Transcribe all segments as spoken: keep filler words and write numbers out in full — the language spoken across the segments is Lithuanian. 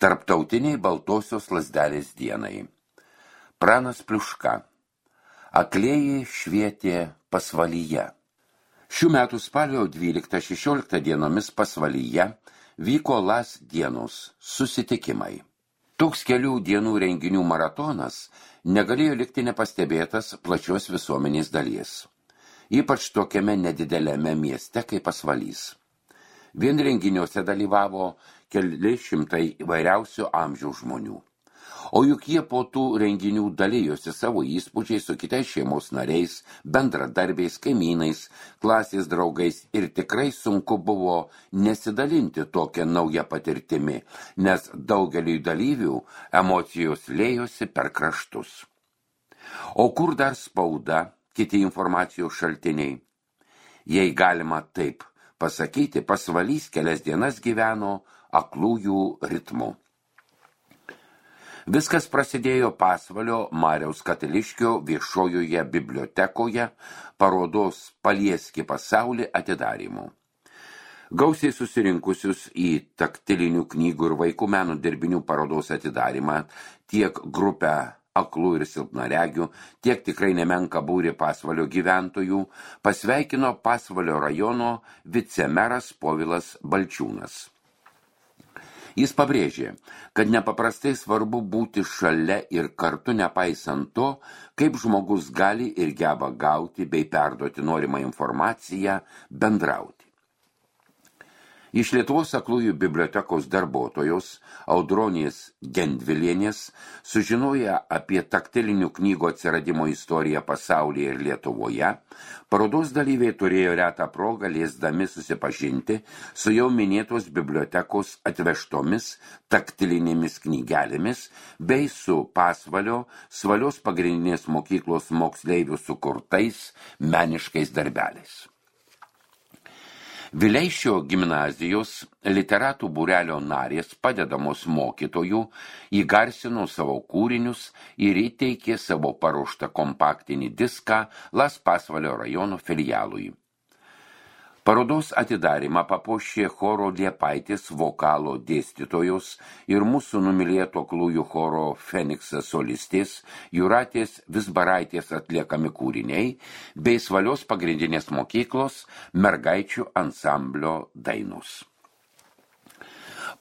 Tarptautiniai baltosios lazdelės dienai. Pranas Pliuška. Aklieji švietė pasvalyje. Šių metų spalio dvyliktą šešioliktą dienomis pasvalyje vyko Las dienos susitikimai. Toks kelių dienų renginių maratonas negalėjo likti nepastebėtas plačios visuomenės dalies. Ypač tokiame nedideliame mieste kaip Pasvalys. Vien renginiuose dalyvavo keli šimtai įvairiausių amžiaus žmonių. O juk jie po tų renginių dalijosi savo įspūdžiais su kitais šeimos nariais, bendradarbiais, kaimynais, klasės draugais ir tikrai sunku buvo nesidalinti tokią naują patirtimi, nes daugeliui dalyvių emocijos lėjosi per kraštus. O kur dar spauda, kiti informacijos šaltiniai? Jei galima taip pasakyti, Pasvalys kelias dienas gyveno aklųjų ritmu. Viskas prasidėjo Pasvalio Mariaus Katiliškio viešojoje bibliotekoje parodos Palieski pasaulį atidarymu. Gausiai susirinkusius į taktilinių knygų ir vaikų meno dirbinių parodos atidarymą tiek grupę aklų ir silpnaregių, tiek tikrai nemenka būrį Pasvalio gyventojų pasveikino Pasvalio rajono vicemeras Povilas Balčiūnas. Jis pabrėžė, kad nepaprastai svarbu būti šalia ir kartu nepaisant to, kaip žmogus gali ir geba gauti bei perduoti norimą informaciją, bendrauti. Iš Lietuvos aklųjų bibliotekos darbuotojos Audronės Gendvilienės sužinoję apie taktilinių knygų atsiradimo istoriją pasaulyje ir Lietuvoje, parodos dalyviai turėjo retą progą liesdami susipažinti su jau minėtos bibliotekos atvežtomis taktilinėmis knygelėmis bei su Pasvalio Svalios pagrindinės mokyklos moksleivių sukurtais meniškais darbeliais. Vileišio gimnazijos literatų būrelio narės padedamos mokytojų įgarsino savo kūrinius ir įteikė savo paruoštą kompaktinį diską Las Pasvalio rajono filialui. Parodos atidarymą papuošė choro Liepaitis vokalo dėstytojos ir mūsų numylėto aklųjų choro Feniksas solistės Jūratės Visbaraitės atliekami kūriniai bei Svalios pagrindinės mokyklos mergaičių ansamblio dainos.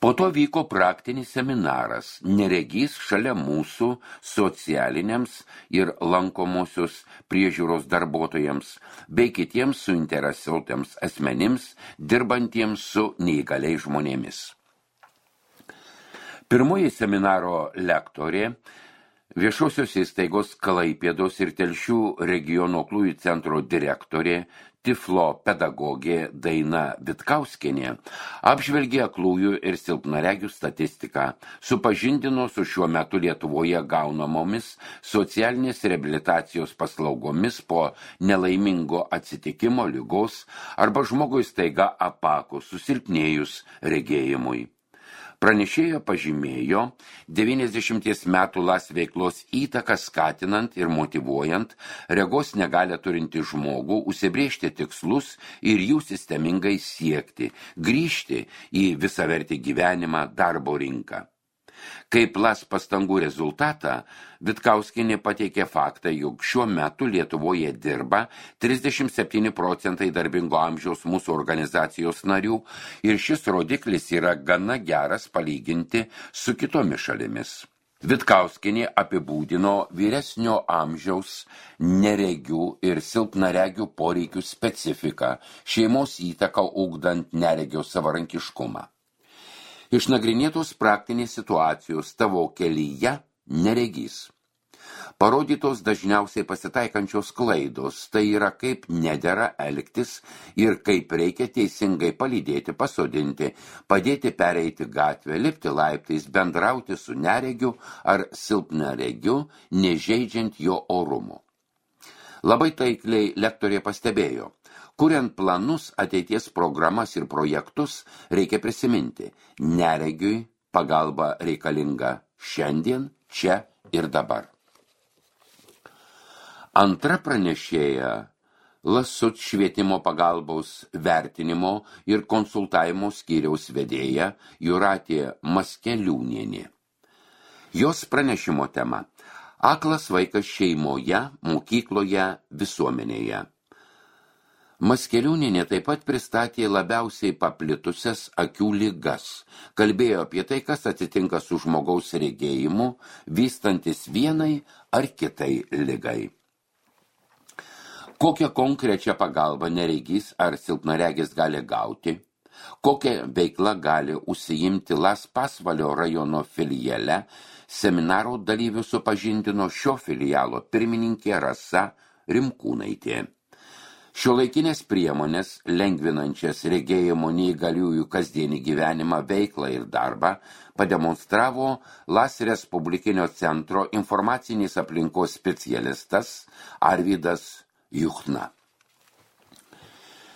Po to vyko praktinis seminaras Neregys šalia mūsų socialiniams ir lankomosios priežiūros darbuotojams bei kitiems suinteresuotiems asmenims dirbantiems su neįgaliais žmonėmis. Pirmoji seminaro lektorė, viešosios įstaigos Klaipėdos ir Telšių regiono aklųjų centro direktorė, Tiflo pedagogė Daina Vitkauskienė apžvelgė aklųjų ir silpnaregių statistiką, supažindino su šiuo metu Lietuvoje gaunamomis socialinės reabilitacijos paslaugomis po nelaimingo atsitikimo, ligos arba žmogui staiga apakus, susilpnėjus regėjimui. Pranešėjo pažymėjo devyniasdešimties metų Las veiklos įtaką skatinant ir motyvuojant regos negalią turinti žmogų užsibrėžti tikslus ir jų sistemingai siekti, grįžti į visavertį gyvenimą darbo rinką. Kaip Las pastangų rezultatą, Vitkauskienė pateikė faktą, jog šiuo metu Lietuvoje dirba trisdešimt septyni procentai darbingo amžiaus mūsų organizacijos narių ir šis rodiklis yra gana geras palyginti su kitomis šalimis. Vitkauskienė apibūdino vyresnio amžiaus neregių ir silpnaregių poreikių specifiką, šeimos įtaką ugdant neregio savarankiškumą. Išnagrinėtos praktinės situacijos tavo kelyje neregys. Parodytos dažniausiai pasitaikančios klaidos, tai yra kaip nedera elgtis ir kaip reikia teisingai palydėti, pasodinti, padėti pereiti gatvę, lipti laiptais, bendrauti su neregiu ar silpnaregiu, nežeidžiant jo orumo. Labai taikliai lektorė pastebėjo, kuriant planus, ateities programas ir projektus, reikia prisiminti, neregiui pagalba reikalinga šiandien, čia ir dabar. Antra pranešėja Lasut švietimo pagalbos vertinimo ir konsultavimo skyriaus vedėja Jūratė Maskeliūnienė. Jos pranešimo tema – aklas vaikas šeimoje, mokykloje, visuomenėje. Maskeliūnienė taip pat pristatė labiausiai paplitusias akių ligas, kalbėjo apie tai, kas atsitinka su žmogaus regėjimu, vystantis vienai ar kitai ligai. Kokią konkrečią pagalbą neregys ar silpnaregis gali gauti, kokią veiklą gali užsiimti Las Pasvalio rajono filiale, seminaro dalyvių supažindino šio filialo pirmininkė Rasa Rimkūnaitė. Šiuolaikinės priemonės, lengvinančias regėjimo neįgaliųjų kasdienį gyvenimą, veiklą ir darbą, pademonstravo Las Respublikinio centro informacinės aplinkos specialistas Arvydas Juchna.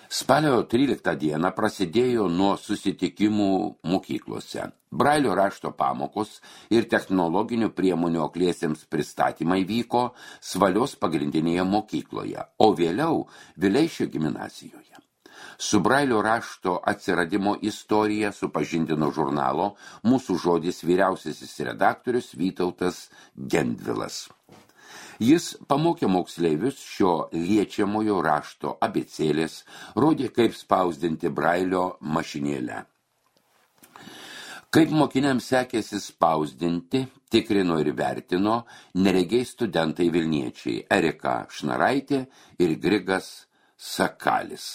Spalio tryliktą dieną prasidėjo nuo susitikimų mokyklose. Brailio rašto pamokos ir technologinių priemonių akliesiems pristatymai vyko Svalios pagrindinėje mokykloje, o vėliau Vileišio gimnazijoje. Su Brailio rašto atsiradimo istorija supažindino žurnalo Mūsų žodis vyriausiasis redaktorius Vytautas Gendvilas. Jis pamokė moksleivius šio liečiamojo rašto abėcėlės, rodė, kaip spausdinti Brailio mašinėlę. Kaip mokiniams sekėsi spausdinti, tikrino ir vertino neregiai studentai vilniečiai Erika Šnaraitė ir Grigas Sakalis.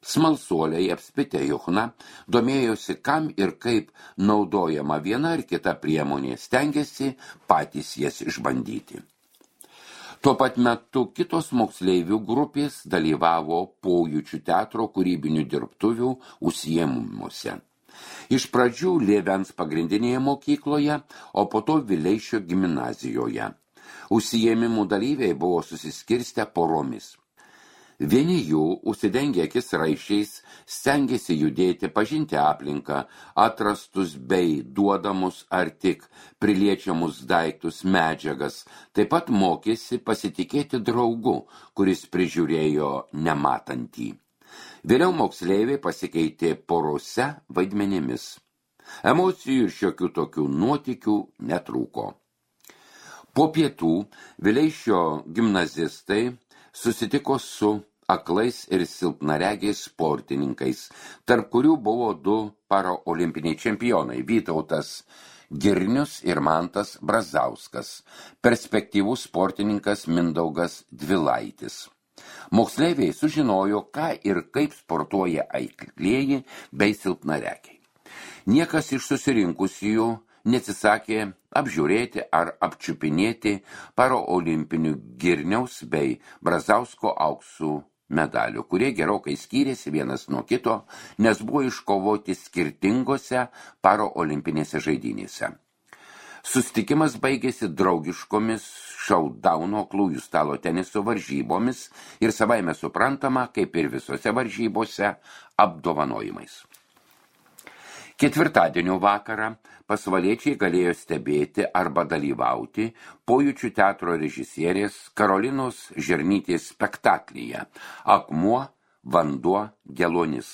Smalsuoliai apspitę Juchną domėjosi, kam ir kaip naudojama viena ar kita priemonė, stengėsi patys jas išbandyti. Tuo pat metu kitos moksleivių grupės dalyvavo Pojūčių teatro kūrybinių dirbtuvių užsiėmimuose. Iš pradžių Lievens pagrindinėje mokykloje, o po to Vileišio gimnazijoje. Užsiėmimų dalyviai buvo susiskirstę poromis. Vieni jų, užsidengę akis raiščiais, stengėsi judėti, pažinti aplinką, atrastus bei duodamus ar tik priliečiamus daiktus, medžiagas, taip pat mokėsi pasitikėti draugu, kuris prižiūrėjo nematantį. Vėliau moksleiviai pasikeitė porose vaidmenimis. Emocijų ir šiokių tokių nuotykių netrūko. Po pietų Vileišio gimnazistai susitiko su aklais ir silpnaregiais sportininkais, tarp kurių buvo du paraolimpiniai čempionai Vytautas Girnius ir Mantas Brazauskas, perspektyvus sportininkas Mindaugas Dvilaitis. Moksleiviai sužinojo, ką ir kaip sportuoja aklieji bei silpnaregiai. Niekas iš susirinkusiųjų neatsisakė apžiūrėti ar apčiupinėti paraolimpinių Girniaus bei Brazausko auksų medalių, kurie gerokai skyrėsi vienas nuo kito, nes buvo iškovoti skirtingose paraolimpinėse žaidynėse. Susitikimas baigėsi draugiškomis šaudauno aklųjų stalo teniso varžybomis ir savaime suprantama, kaip ir visose varžybose, apdovanojimais. Ketvirtadienio vakarą pasvaliečiai galėjo stebėti arba dalyvauti Pojūčių teatro režisierės Karolinos Žernytės spektaklyje Akmuo, vanduo, geluonis.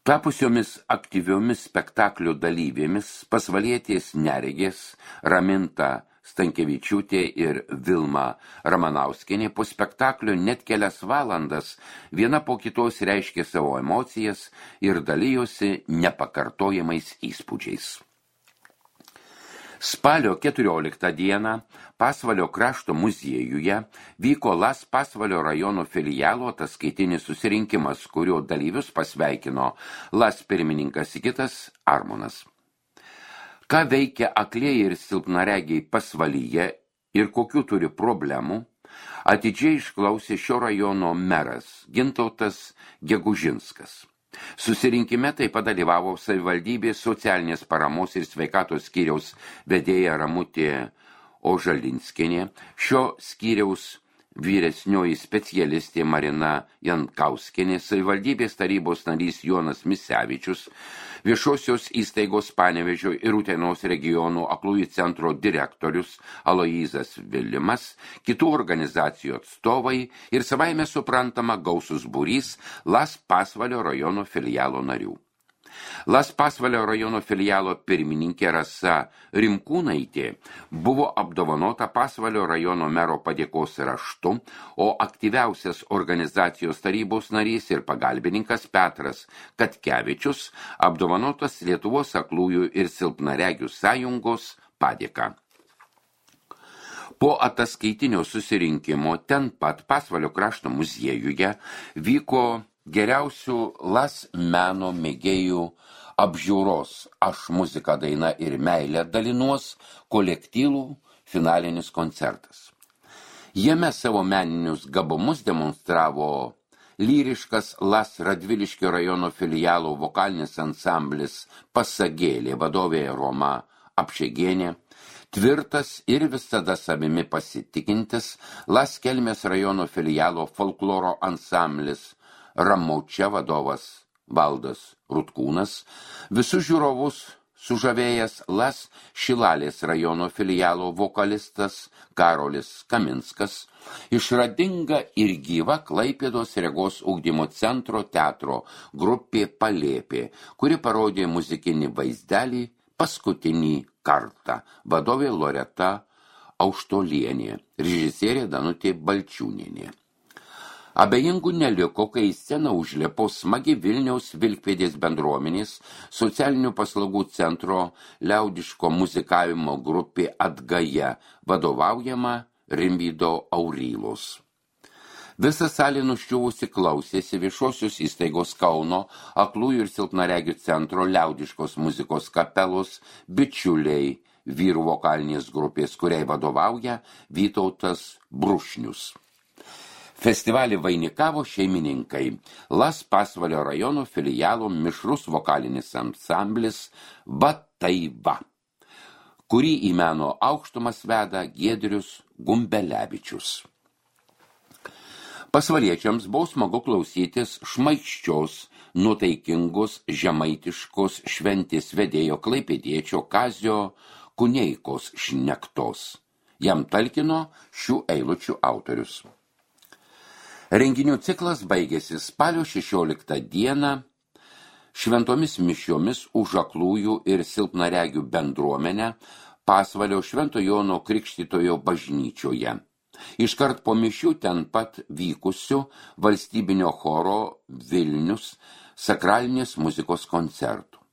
Tapusiomis aktyviomis spektaklio dalyvėmis pasvalietės neregės Raminta Stankevičiūtė ir Vilma Ramanauskienė po spektaklio net kelias valandas viena po kitos reiškė savo emocijas ir dalijosi nepakartojamais įspūdžiais. Spalio keturioliktą dieną Pasvalio krašto muziejuje vyko Las Pasvalio rajono filialo ataskaitinis susirinkimas, kurio dalyvius pasveikino Las pirmininkas Sigitas Armonas. Ką veikia aklieji ir silpnaregiai Pasvalyje ir kokių turi problemų, atidžiai išklausė šio rajono meras Gintautas Gegužinskas. Susirinkime taip pat dalyvavo savivaldybės socialinės paramos ir sveikatos skyriaus vedėja Ramutė Ožalinskienė, šio skyriaus vyresnioji specialistė Marina Jankauskienė, savivaldybės tarybos narys Jonas Misevičius, viešosios įstaigos Panevėžio ir Utenos regionų aklųjų centro direktorius Aloyzas Vilimas, kitų organizacijų atstovai ir savaime suprantama gausus būrys Las Pasvalio rajono filialo narių. Las Pasvalio rajono filialo pirmininkė Rasa Rimkūnaitė buvo apdovanota Pasvalio rajono mero padėkos raštu, o aktyviausias organizacijos tarybos narys ir pagalbininkas Petras Katkevičius apdovanotas Lietuvos aklųjų ir silpnaregių sąjungos padėka. Po ataskaitinio susirinkimo ten pat Pasvalio krašto muziejuje vyko geriausių Las meno mėgėjų apžiūros Aš muzika, daina ir meilė dalinuos kolektyvų finalinis koncertas. Jame savo meninius gabumus demonstravo lyriškas Las Radviliškio rajono filialo vokalinis ansamblis Pasagėlė vadovė Roma Apšegienė, tvirtas ir visada savimi pasitikintis Las Kelmės rajono filialo folkloro ansamblis Ramaučia vadovas Valdas Rutkūnas, visus žiūrovus sužavėjęs Las Šilalės rajono filialo vokalistas Karolis Kaminskas, išradinga ir gyva Klaipėdos regos ugdymo centro teatro grupė Palėpė, kuri parodė muzikinį vaizdelį paskutinį kartą, vadovė Loreta Auštolienė, režisierė Danutė Balčiūnienė. Abejingų neliko, kai į sceną užlipo smagi Vilniaus Vilkpėdės bendruomenės socialinių paslaugų centro liaudiško muzikavimo grupė Atgaja, vadovaujama Rimvydo Aurylos. Visa salė nuščiuvusi klausėsi viešosios įstaigos Kauno aklųjų ir silpnaregių centro liaudiškos muzikos kapelos bičiuliai vyrų vokalinės grupės, kuriai vadovauja Vytautas Brušnius. Festivalį vainikavo šeimininkai Las Pasvalio rajono filialo mišrus vokalinis ansamblis Bataiva, kurį į meno aukštumas veda Giedrius Gumbelevičius. Pasvaliečiams buvo smagu klausytis šmaikščios, nuotaikingos, žemaitiškos šventės vedėjo klaipėdiečio Kazio Kuneikos šnektos. Jam talkino šių eilučių autorius. Renginių ciklas baigėsi spalio šešioliktą dieną šventomis mišiomis už aklųjų ir silpnaregių bendruomenę Pasvalio Švento Jono Krikštytojo bažnyčioje. Iškart po mišių ten pat vykusių valstybinio choro Vilnius sakralinės muzikos koncertų.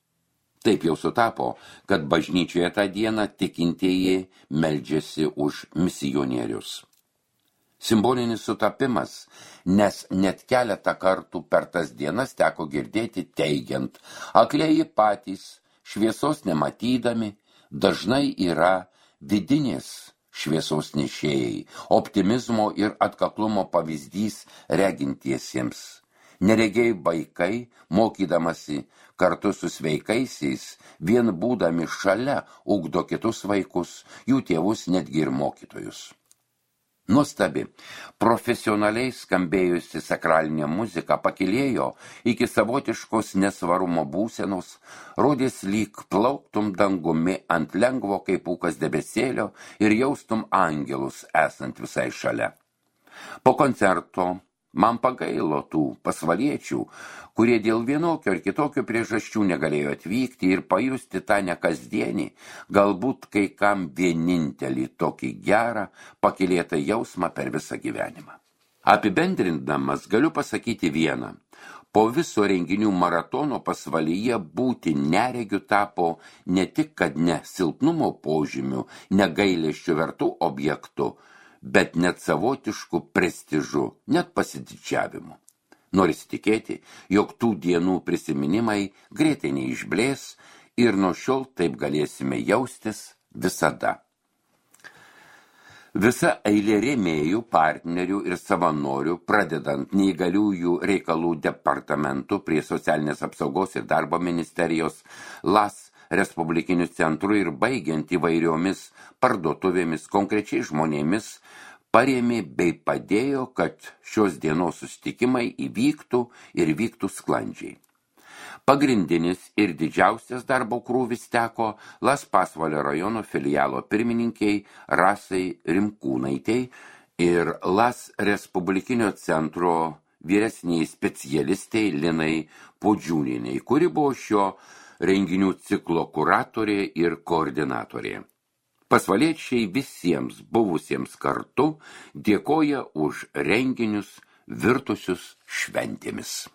Taip jau sutapo, kad bažnyčioje tą dieną tikintieji meldžiasi už misionierius. Simbolinis sutapimas, nes net keletą kartų per tas dienas teko girdėti teigiant, aklieji patys, šviesos nematydami, dažnai yra vidinės šviesos nešėjai, optimizmo ir atkaklumo pavyzdys regintiesiems. Neregiai vaikai, mokydamasi kartu su sveikaisiais, vien būdami šalia, ugdo kitus vaikus, jų tėvus netgi ir mokytojus. Nuostabi, profesionaliai skambėjusi sakralinė muzika pakilėjo iki savotiškos nesvarumo būsenos, rodės lyg plauktum dangumi ant lengvo kaip pūkas debesėlio ir jaustum angelus esant visai šalia. Po koncerto man pagailo tų pasvaliečių, kurie dėl vienokio ar kitokio priežasčių negalėjo atvykti ir pajusti tą nekasdienį, galbūt kai kam vienintelį tokį gerą, pakylėtą jausmą per visą gyvenimą. Apibendrindamas galiu pasakyti vieną. Po viso renginių maratono Pasvalyje būti neregiu tapo ne tik, kad ne silpnumo požymių, negailesčių vertų objektų, bet net savotiškų prestižų, net pasididžiavimu. Norisi tikėti, jog tų dienų prisiminimai greitai neišblės ir nuo šiol taip galėsime jaustis visada. Visa eilė rėmėjų, partnerių ir savanorių, pradedant neįgaliųjų reikalų departamentų prie socialinės apsaugos ir darbo ministerijos, Las Respublikinių centrų ir baigiant įvairiomis parduotuvėmis, konkrečiai žmonėmis, parėmė bei padėjo, kad šios dienos susitikimai įvyktų ir vyktų sklandžiai. Pagrindinis ir didžiausias darbo krūvis teko Las Pasvalio rajono filialo pirmininkiai Rasai Rimkūnaitei ir Las Respublikinio centro vyresniai specialistei Linai Podžiūnienei, kuri buvo šio renginių ciklo kuratorė ir koordinatorė. Pasvaliečiai visiems buvusiems kartu dėkoja už renginius virtusius šventėmis.